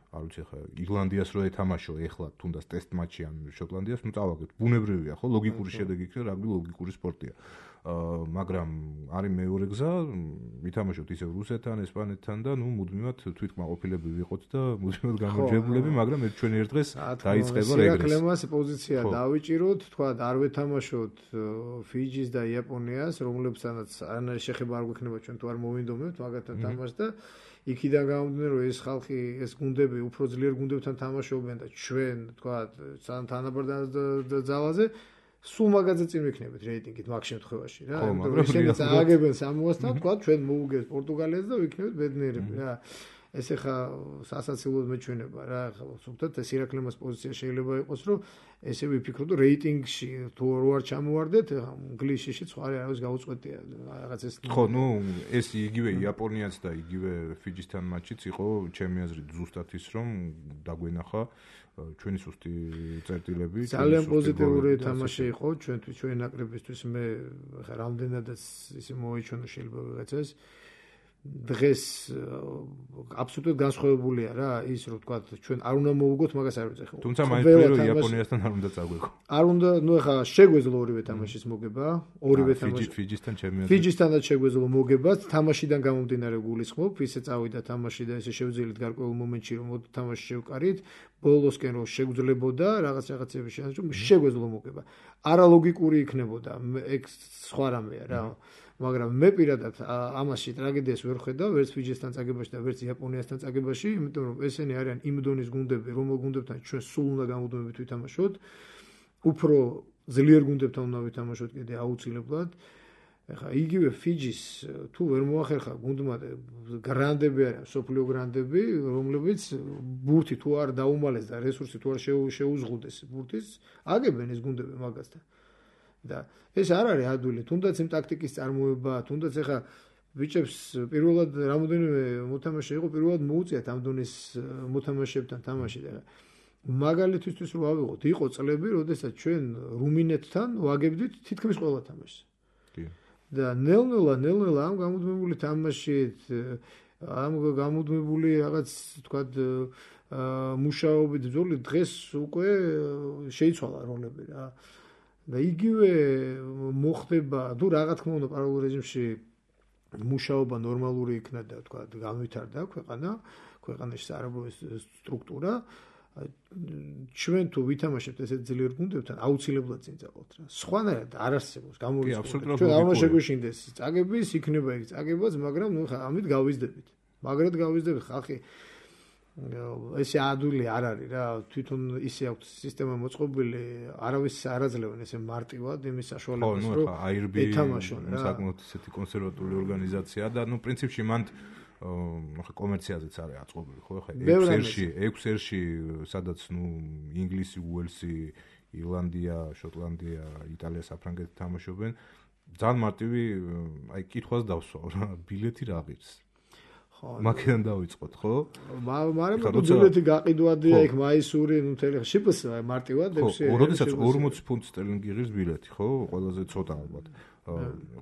არ ვიცი ხა ირლანდიას რო ეთამაშო ეხლა თუნდაც ტესტ მატჩი ან შოტლანდიას ნუ წავაგეთ ბუნებრივია ხო ლოგიკური შედეგი იქნება რაგბი ლოგიკური სპორტია მაგრამ არის მეორე გზა ვითამაშოთ ისევ რუსეთთან ესპანეთთან და ნუ მუდმივად თვითკმაყოფილები ვიყოთ და მუდმივად გამარჯვებულები მაგრამ ერთ ჩვენ ერთ დღეს დაიწყება რეგრესი რეკლამას პოზიცია დავიჭიროთ თქვა არ ვეთამაშოთ ფიჯის და იაპონიას რომლებსაც არანაირი შეხება არ გვექნება ჩვენ თუ არ მოვინდომებთ მაგათთან თამაშს და იქიდან გამომდინარე რომ ეს ხალხი ეს გუნდები უფრო ძლიერ გუნდებთან თამაშობენ და ჩვენ თქვა თანაბარ ძალაზე სულ მაგაზე წინ ვიქნებით რეიტინგით მაგ შემთხვევაში რა იმიტომ რომ ისინი წააგებენ სამოასთან თქვა ჩვენ მოუგებს პორტუგალიას და ვიქნებით ბედნიერები რა ეს ახლა სასაცილოდ მეჩვენება რა ახლა სულთად ეს ირაკლემას პოზიცია შეიძლება იყოს რომ ესე ვიფიქროთ რომ რეიტინგში თუ რო არ ჩამოვარდეთ ინგლისში სხვა არავის გაუწყვეტია რაღაც ეს ხო ნუ ეს იგივე იაპონიაც და იგივე ფიჯისთან მატჩიც იყო ჩემი აზრით ზუსტად ის რომ დაგვენახა ჩვენი სუსტი წერტილები ძალიან პოზიტიური თამაში იყო ჩვენთვის ჩვენი ნაკრებისთვის მე ხა რამდენადაც ისე მოიჩვენა შეიძლება ვიღაცას დღეს აბსოლუტურად განსხვავებულია რა ის რომ თქვა ჩვენ არ უნდა მოვუგოთ მაგას არ ვიცი ხო თუმცა მაინც რომ იაპონიასთან არ უნდა წაგვეკო არ უნდა ნუ ეხა შეგვეძლო ორივე თამაშის მოგება ორივე თამაში ფიჯისთან ჩემი აზრით ფიჯისთანაც შეგვეძლო მოგება თამაშიდან გამომდინარე გულისხმობ ისე წავიდა თამაში და ესე შევძელით გარკვეულ მომენტში რომ თამაში შევკარით ბოლოსკენ რომ შეგვძლებოდა რაღაც რაღაცები შეანჯო შეგვეძლო მოგება არალოგიკური იქნებოდა ეგ სხვა რამეა რა მაგრამ მე პირადად ამაში ტრაგედიას ვერ ხედავ ვერც ფიჯისთან წაგებაში და ვერც იაპონიასთან წაგებაში იმიტომ რომ ესენი არიან იმ დონის გუნდები რომელ გუნდებთან ჩვენ სულ უნდა გამოდომებით ვითამაშოთ უფრო ძლიერ გუნდებთან უნდა ვითამაშოთ კიდე აუცილებლად ეხა იგივე ფიჯის თუ ვერ მოახერხა გუნდმა გრანდები არიან სოფლიო გრანდები რომლებიც ბურთი თუ არ დაუმალეს და რესურსი თუ არ შეუზღუდეს ბურთის აგებენ ეს გუნდები მაგასთან და ეს არ არის ადვილი თუნდაც იმ ტაქტიკის წარმოება თუნდაც ეხა ბიჭებს პირველად რამოდენიმე მოთამაშე იყო პირველად მოუწიათ ამ დონის მოთამაშეებთან თამაში და მაგალითისთვის რო ავიღოთ, იყო წლები, როდესაც ჩვენ რუმინეთთან ვაგებდით თითქმის ყველა თამაშს. კი. და ნელ-ნელა, ნელ-ნელა ამ გამუდმებული თამაშით, ამ გამუდმებული რაღაც თქვა მუშაობით ბრძოლით დღეს უკვე შეიცვალა როლები რა. და იგივე მოხდება, თუ რა თქმა უნდა პარალელურ რეჟიმში მუშაობა ნორმალური იქნა და თქვა განვითარდა ქვეყანა, ქვეყანაში საარაბოების სტრუქტურა, ჩვენ თუ ვითამაშებთ ესეთ ძლიერ გუნდებთან, აუცილებლად წინ წავალთ რა. სხვანაირად არ არსებობს გამოვიწყოთ. ჩვენ არ შეგვეშინდეს წაგების, იქნება იქ წაგებაც, მაგრამ ნუ ხა ამით გავიზდებით. მაგრად გავიზდებით ხალხი ესე ადვილი არ არის რა, თვითონ ისე აქვს სისტემა მოწყობილი, არავის არაძლევენ ესე მარტივად იმის საშუალებას, რომ ეთამაშონ რა. საკმაოდ ისეთი კონსერვატული ორგანიზაცია და ნუ პრინციპში მანდ ხა კომერციაზეც არის აწყობილი, ხო ხა ექვს ერში, ექვს ერში, სადაც ნუ ინგლისი, უელსი, ირლანდია, შოტლანდია, იტალია, საფრანგეთი თამაშობენ. ძალიან მარტივი, აი კითხვას დავსვავ რა, ბილეთი რა ღირს? მაქედან დავიწყოთ, ხო? მაგრამ ბილეთი გაყიდვადია იქ მაისური, ნუ თელი შიპს მარტივად ექვსი. ხო, როდესაც ორმოცი ფუნტი სტერლინგი ღირს ბილეთი, ხო? ყველაზე ცოტა ალბათ.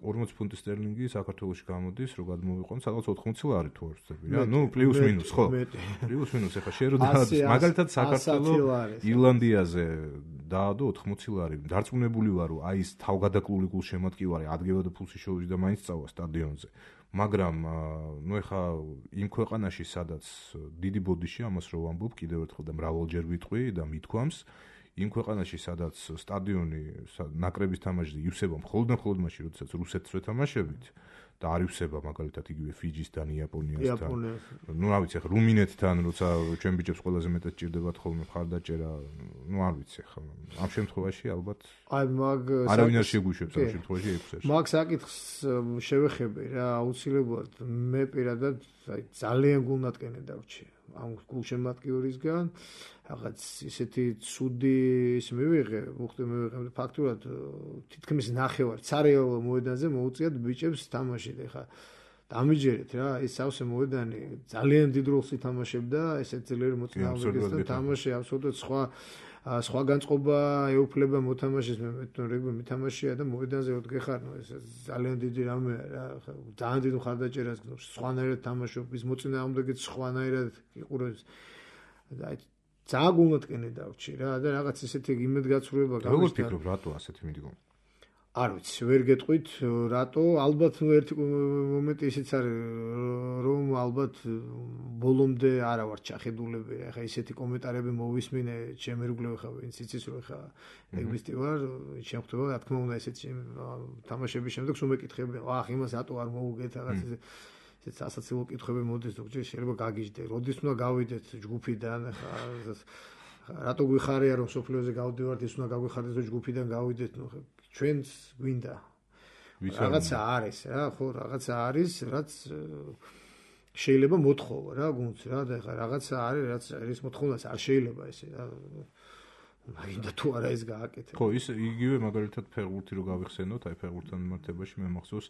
ორმოცი ფუნტი სტერლინგი საქართველოში გამოდის, რო გადმოვიყვანოთ, სადღაც ოთხმოცი ლარი თუ არ ვცდები რა. ნუ პლუს მინუს, ხო? პლუს მინუს, ეხლა შენ რო დაადეს, მაგალითად საქართველოს ირლანდიაზე დაადო ოთხმოცი ლარი. დარწმუნებული ვარ, რომ აი ეს თავგადაკლული გულშემატკივარი ადგებოდა ფულში შოუში და მაინც წავა სტადიონზე. მაგრამ ნუ ეხა იმ ქვეყანაში, სადაც დიდი ბოდიში, ამას რო ვამბობ, კიდევ ერთხელ და მრავალჯერ ვიტყვი და მithქვამს, იმ ქვეყანაში, სადაც სტადიონი ნაკრების თამაშზე ივსება მხოლოდ და მხოლოდ მაშინ, როდესაც რუსეთს ვეთამაშებით და არ ივსება მაგალითად იგივე ფიჯისთან, იაპონიასთან. ნუ რა ვიცი, ეხა რუმინეთთან, როცა ჩვენ ბიჭებს ყველაზე მეტად ჭირდებათ ხოლმე მხარდაჭერა, ნუ არ ვიცი, ეხა ამ შემთხვევაში ალბათ აი მაგ არავინ არ შეგვიშვებს ამ შემთხვევაში ექვსერში. მაგ საკითხს შევეხები რა, აუცილებლად მე პირადად აი ძალიან გულნატკენი დავრჩი ამ გულშემატკივრისგან. რაღაც ისეთი ცუდი ის მივიღე, უხდე მივიღე ფაქტურად თითქმის ნახევარ ცარეულო მოედანზე მოუწიათ ბიჭებს თამაშით. ეხა დამიჯერეთ რა, ის სავსე მოედანი ძალიან დიდ როლს ითამაშებდა ესეთ ძლიერ მოწინააღმდეგესთან თამაში, აბსოლუტურად სხვა სხვა განწყობა ეუფლება მოთამაშეს, მე მეტყვი რეგბი მითამაშია და მოედანზე ოდგეხარ, ნუ ეს ძალიან დიდი რამეა რა, ძალიან დიდ მხარდაჭერას გნობს, სხვანაირად თამაშობ, ის მოწინააღმდეგეც სხვანაირად იყურებს. და ძალიან გულნატკენი დავრჩი რა და რაღაც ისეთი იმედგაცრუება გამოსდა. როგორ ფიქრობ, რატო ასეთი მიდგომა? არ ვიცი, ვერ გეტყვით რატო, ალბათ ნუ ერთი მომენტი ისიც არის, რომ ალბათ ბოლომდე არა ვარ ჩახედულები, ეხა ისეთი კომენტარები მოვისმინე, ჩემი რგლევ ხა ვინც იცის რომ ეხა ეგბისტი ვარ, შემხვდება, რა თქმა უნდა ესეთი თამაშების შემდეგ სულ მეკითხები, აх, იმას რატო არ მოუგეთ რაღაც ისე ეს ასაცილო კითხვები მოდის, ზოგჯერ შეიძლება გაგიჟდე, როდის უნდა გავიდეთ ჯგუფიდან, ხა რატო გვიხარია რომ სოფლიოზე გავდივართ, ის უნდა გაგვიხარდეს რომ ჯგუფიდან გავიდეთ, ნუ ჩვენც გვინდა. რაღაცა არის რა, ხო, რაღაცა არის, რაც შეიძლება მოთხოვა რა, გუნდს რა და ხა რაღაცა არის, რაც ის მოთხოვნას არ შეიძლება ესე რა. მაინდა თუ არა ეს გააკეთე. ხო, ის იგივე მაგალითად ფეხბურთი რო გავიხსენოთ, აი ფეხბურთთან მიმართებაში მე მახსოვს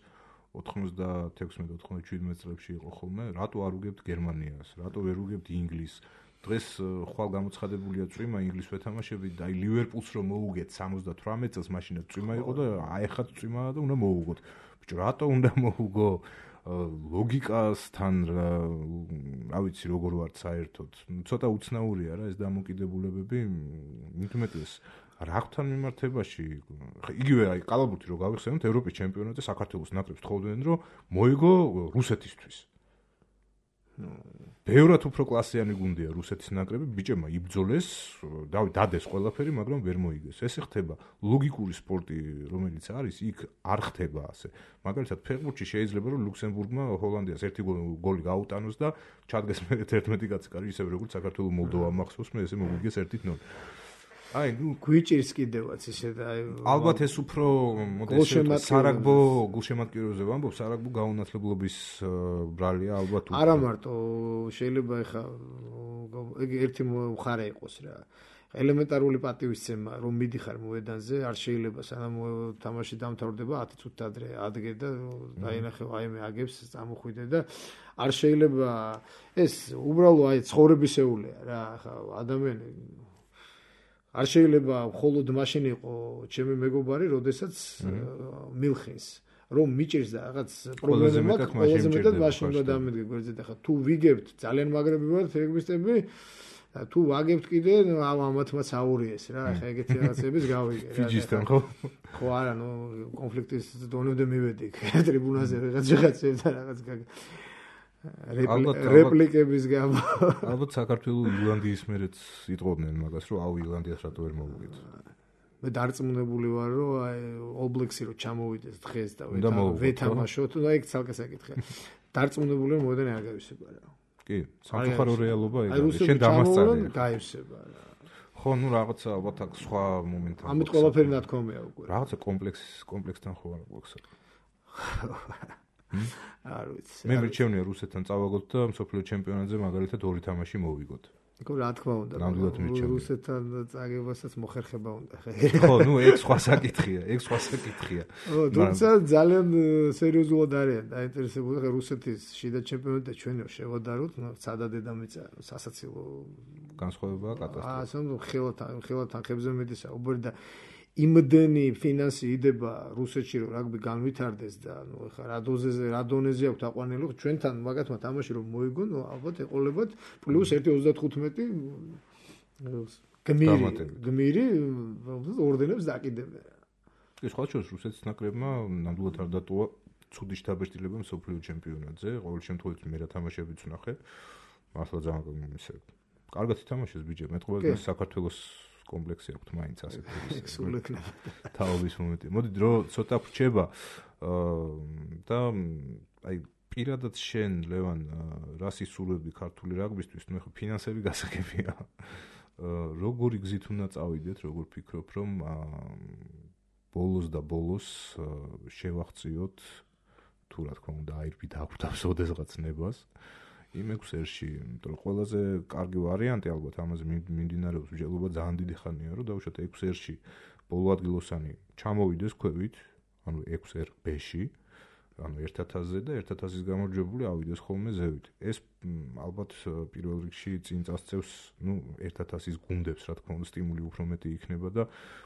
ოთხმოცდაექვსმეტ ოთხმოცდაშვიდმეტ წლებში იყო ხოლმე, რატო არ უგებთ გერმანიას, რატო ვერ უგებთ ინგლისს? დღეს ხვალ გამოცხადებულია წვიმა ინგლისს ვეთამაშებით და აი ლივერპულს რომ მოუგეთ სამოცდათვრამეტ წელს მაშინაც წვიმა იყო და აიხაც წვიმაა და უნდა მოუგოთ. ბიჭო, რატო უნდა მოუგო? ლოგიკასთან რა ვიცი როგორ ვარ საერთოდ. ცოტა უცნაურია რა ეს დამოკიდებულებები, მithumetes რაღთან მიმართებაში, იგივე აი კალაბურთი რო გავიხსენოთ, ევროპის ჩემპიონატზე საქართველოს ნაკრებს თხოვდნენ რომ მოიგო რუსეთისთვის. ბევრად უფრო კლასიანი გუნდია რუსეთის ნაკრები, ბიჭებმა იბრძოლეს, დადეს ყველაფერი, მაგრამ ვერ მოიგეს. ესე ხდება ლოგიკური სპორტი, რომელიც არის, იქ არ ხდება ასე. მაგალითად, ფეხბურთში შეიძლება რომ ლუქსემბურგმა ჰოლანდიას ერთი გოლი გაუტანოს და ჩადგეს მე ერთმეტი კაცი კარი, ისე როგორც საქართველოს მოლდოვა მახსოვს, მე ესე მოიგეს ერთი ნოლი. აი, ნუ გვიჭირს კიდევაც ისე და აი ალბათ ეს უფრო მოდესე სარაგბო გულშემატკივრებზე ვამბობ, სარაგბო გაუნათლებლობის ბრალია ალბათ უფრო. არა მარტო, შეიძლება ეხა ეგ ერთი მხარე იყოს რა. ელემენტარული პატივისცემა რომ მიდიხარ მოედანზე, არ შეიძლება სანამ თამაში დამთავრდება ათი წუთით ადრე ადგე და დაინახე აი მე აგებს წამოხვიდე და არ შეიძლება ეს უბრალო აი ცხოვრებისეულია რა, ხა ადამიანი არ შეიძლება მხოლოდ მაშინ იყო ჩემი მეგობარი, როდესაც მილხინს რომ მიჭირს და რაღაც პრობლემა მაქვს, ყველაზე მეტად მაშინ უნდა დამედგე გვერდზე და ხა თუ ვიგებთ ძალიან მაგრები ვართ რეგბისტები და თუ ვაგებთ კიდე ამათმაც აურიეს რა, ხა ეგეთი რაღაცების გავიგე რა. ფიჯისთან ხო? ხო არა, ნუ კონფლიქტის დონემდე მივედი ტრიბუნაზე რაღაც რაღაცებთან რაღაც რეპლიკების გამო. ალბათ საქართველოს ირლანდიის მერეც იტყობდნენ მაგას, რომ აუ ირლანდიას რატო ვერ მოვუგეთ. მე დარწმუნებული ვარ, რომ აი All Blacks-ი რო ჩამოვიდეს დღეს და ვეთამაშოთ, და ეგ ცალკე საკითხია. დარწმუნებული რომ მოედანი არ გავისება რა. კი, სამწუხარო რეალობა ეგაა. შენ დამასწავლე. გაივსება რა. ხო, ნუ რაღაცა ალბათ აქ სხვა მომენტია. ამით ყველაფერი ნათქვამია უკვე. რაღაცა კომპლექს კომპლექსთან ხო არ გვაქვს. არ ვიცი. მე მერჩევნია რუსეთთან წავაგოთ და მსოფლიო ჩემპიონატზე მაგალითად ორი თამაში მოვიგოთ. იქ რა თქმა უნდა, რუსეთთან წაგებასაც მოხერხება უნდა. ხო, ნუ ეგ სხვა საკითხია, ეგ სხვა საკითხია. ხო, თუმცა ძალიან სერიოზულად არიან დაინტერესებული ხა რუსეთის შიდა ჩემპიონატი ჩვენო შევადაროთ, სადა დედამიწა სასაცილო განსხვავებაა კატასტროფა. აა, სამ ხელთან ხელთან ხებზე მედისა უბერ და იმდენი ფინანსი იდება რუსეთში რომ რაგბი განვითარდეს და ნუ ხა რა დოზეზე რა დონეზე აქვს აყვანილი ჩვენთან მაგათმა თამაში რომ მოიგონ ალბათ ეყოლებათ პლუს ერთი ოცდათხუთმეტი გმირი გმირი ორდენებს დაკიდებენ. ეს სხვა შორის რუსეთის ნაკრებმა ნამდვილად არ დატოვა ცუდი შთაბეჭდილება მსოფლიო ჩემპიონატზე. ყოველ შემთხვევაში მე რა თამაშებიც ვნახე. მართლა ძალიან ისე კარგად ითამაშეს ბიჭები. მეტყობა საქართველოს კომპლექსი აქვს მაინც ასეთი თაობის მომენტი. მოდი დრო ცოტა ვრჩება და აი პირადად შენ ლევან რას ისურვებდი ქართული რაგბისტვის, ნუ ახლა ფინანსები გასაგებია. როგორი გზით უნდა წავიდეთ, როგორ ფიქრობ რომ ბოლოს და ბოლოს შევახციოთ თუ რა თქმა უნდა აირბით აგვდავს ოდესღაც ნებას იმ ექვსერში, იმიტომ რომ ყველაზე კარგი ვარიანტი ალბათ ამაზე მიმდინარეობს მსჯელობა ძალიან დიდი ხანია, რომ დავუშვათ ექვსერში ბოლო ადგილოსანი ჩამოვიდეს ქვევით, ანუ ექვსერ ბ-ში, ანუ ერთ ათასზე და ერთ ათასის გამარჯვებული ავიდეს ხოლმე ზევით. ეს ალბათ პირველ რიგში წინ წასწევს, ნუ ერთ ათასის გუნდებს, რა თქმა უნდა, სტიმული უფრო მეტი იქნება და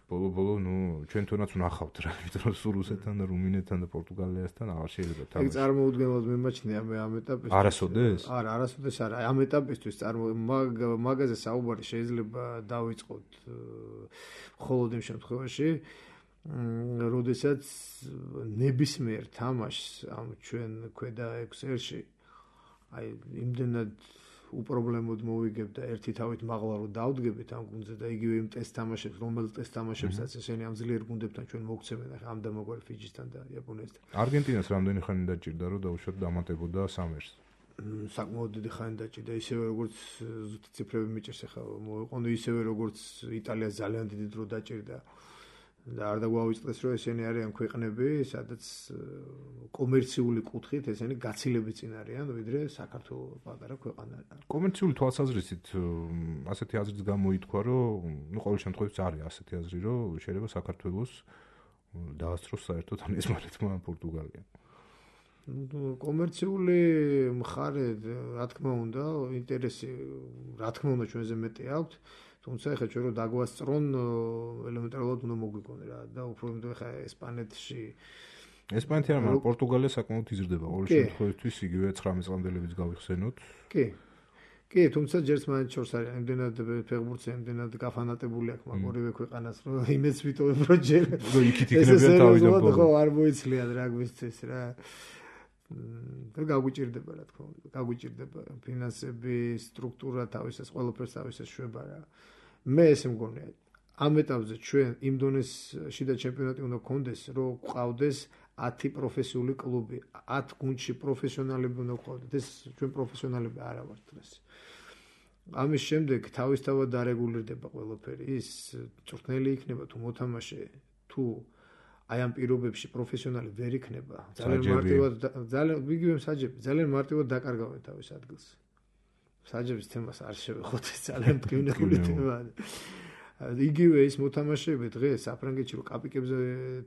ბოლო-ბოლო, ნუ ჩვენ თუნდაც ვნახავთ რა, იმიტომ რომ სულ რუსეთთან და რუმინეთთან და პორტუგალიასთან აღარ შეიძლება თამაში. ეგ წარმოუდგენლად მიმაჩნია მე ამ ეტაპისთვის. არასოდეს? არა, არასოდეს არა. ამ ეტაპისთვის წარმო მაგაზე საუბარი შეიძლება დავიწყოთ მხოლოდ იმ შემთხვევაში, როდესაც ნებისმიერ თამაშს ამ ჩვენ ქვედა ექვსერში აი იმდენად უპრობლემოდ მოვიგებ და ერთი თავით მაღლა რომ დავდგებით ამ გუნდზე და იგივე იმ ტესტ თამაშებს, რომელიც ტესტ თამაშებსაც ესენი ამ ძლიერ გუნდებთან ჩვენ მოგცემენ ახლა ამ დამოგვარი ფიჯისთან და იაპონიასთან. არგენტინას რამდენი ხანი დაჭირდა რომ დაუშვათ დამატებოდა სამერს? საკმაოდ დიდი ხანი დაჭირდა, ისევე როგორც ზუსტი ციფრები მიჭირს ახლა მოიყვანო, ისევე როგორც იტალიას ძალიან დიდი დრო დაჭირდა. და არ დაგვავიწყდეს რომ ესენი არიან ქვეყნები, სადაც კომერციული კუთხით ესენი გაცილებით წინ არიან, ვიდრე საქართველოს პატარა ქვეყანა. კომერციული თვალსაზრისით ასეთი აზრიც გამოითქვა, რომ ნუ ყოველ შემთხვევაში არის ასეთი აზრი, რომ შეიძლება საქართველოს დაასწროს საერთოდ ან ესმარეთმა პორტუგალია. კომერციული მხარე, რა თქმა უნდა, ინტერესი, რა თქმა უნდა ჩვენზე მეტი აქვს. თუმცა ეხლა ჩვენ რომ დაგვასწრონ ელემენტარულად უნდა მოგვიგონ რა და უფრო იმიტომ ეხლა ესპანეთში ესპანეთი არ მაგრამ პორტუგალია საკმაოდ იზრდება ყოველ შემთხვევაში იგივე ცხრამეტ წლამდელებიც გავიხსენოთ. კი. კი, თუმცა ჯერს მაინც შორს არის იმდენად ფეხბურთზე იმდენად გაფანატებული აქვს მაგ ორივე ქვეყანას რომ იმეც ვიტოვებ რომ ჯერ იქით იქნებიან თავიდან ხო არ მოიცლიან რაგბისთვის რა. და გაგვიჭირდება რა თქმა უნდა, გაგვიჭირდება ფინანსები, სტრუქტურა თავისას, ყველაფერს თავისას შვება რა. მე ესე მგონია, ამ ეტაპზე ჩვენ იმ დონეს შიდა ჩემპიონატი უნდა გქონდეს, რომ გვყავდეს ათი პროფესიული კლუბი, ათ გუნდში პროფესიონალები უნდა გქონდეს. ეს ჩვენ პროფესიონალები არა ვართ დღეს. ამის შემდეგ თავისთავად დარეგულირდება ყველაფერი, ის წვრთნელი იქნება თუ მოთამაშე, თუ აი ამ პირობებში პროფესიონალი ვერ იქნება, ძალიან მარტივად ძალიან იგივე საჯები, ძალიან მარტივად დაკარგავენ თავის ადგილს. საჯების თემას არ შევეხოთ, ეს ძალიან მტკივნეული თემაა. იგივე ის მოთამაშეები დღეს საფრანგეთში რო კაპიკებზე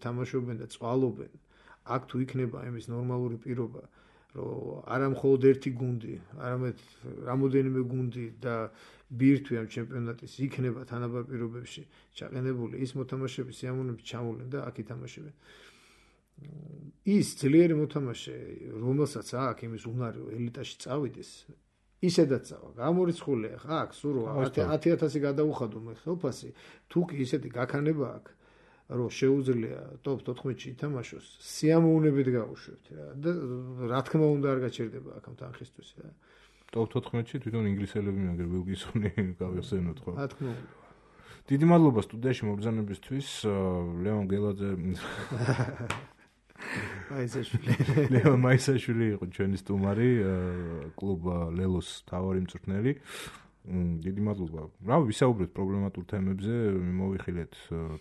თამაშობენ და წვალობენ, აქ თუ იქნება იმის ნორმალური პირობა, რომ არა მხოლოდ ერთი გუნდი, არამედ რამოდენიმე გუნდი და ბირთვი ამ ჩემპიონატის იქნება თანაბარ პირობებში ჩაყენებული, ის მოთამაშეები სიამოვნებით ჩამოვლენ და აქ ითამაშებენ. ის ძლიერი მოთამაშე, რომელსაც აქ იმის უნარი ელიტაში წავიდეს, ისედაც წავა. გამორიცხულია ხა აქ სულ ათი ათასი გადაუხადო მე ხელფასი, თუ კი ისეთი გაქანება აქვს, რომ შეუძლია ტოპ თოთხმეტში ითამაშოს, სიამოვნებით გავუშვებთ რა და რა თქმა უნდა არ გაჩერდება აქ ამ თანხისთვის რა. ტოპ თოთხმეტში თვითონ ინგლისელები მაგერ ვილგისონი გავიხსენოთ ხო? რა თქმა უნდა. დიდი მადლობა სტუდიაში მობრძანებისთვის, ლევან გელაძე. მაისაშვილი. ლევან მაისაშვილი იყო ჩვენი სტუმარი, კლუბ ლელოს თავარი მწვრთნელი. დიდი მადლობა. რა ვისაუბრეთ პრობლემატურ თემებზე, მოვიხილეთ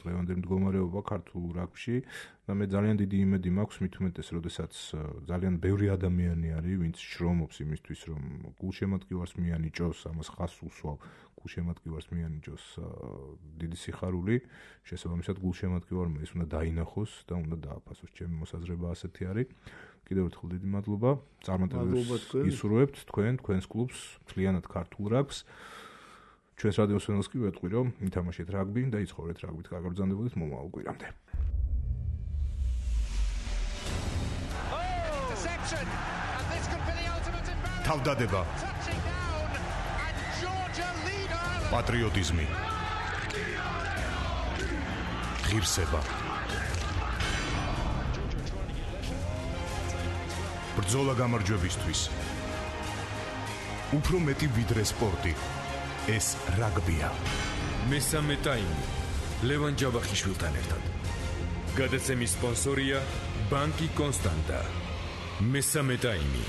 დღევანდელი მდგომარეობა ქართულ რაგბიში და მე ძალიან დიდი იმედი მაქვს მით უმეტეს, როდესაც ძალიან ბევრი ადამიანი არის, ვინც შრომობს იმისთვის, რომ გულშემატკივარს მიანიჭოს, ამას ხაზს უსვავ, გულშემატკივარს მიანიჭოს დიდი სიხარული, შესაბამისად გულშემატკივარმა ის უნდა დაინახოს და უნდა დააფასოს. ჩემი მოსაზრება ასეთი არის. კიდევ ერთხელ დიდი მადლობა. წარმატებებს ისურვებთ თქვენ, თქვენს კლუბს, მთლიანად ქართულ რაგბს. ჩვენს რადიოს ფენელს კი ვეტყვი, რომ ითამაშეთ რაგბი და იცხოვრეთ რაგბით. კარგად ბრძანდებოდეთ მომავალ კვირამდე. თავდადება. პატრიოტიზმი. ღირსება. ბრძოლა გამარჯვებისთვის. უფრო მეტი ვიდრე სპორტი. ეს რაგბია. მესამე ტაიმი. ლევან ჯავახიშვილთან ერთად. გადაცემის სპონსორია ბანკი კონსტანტა. მესამე ტაიმი.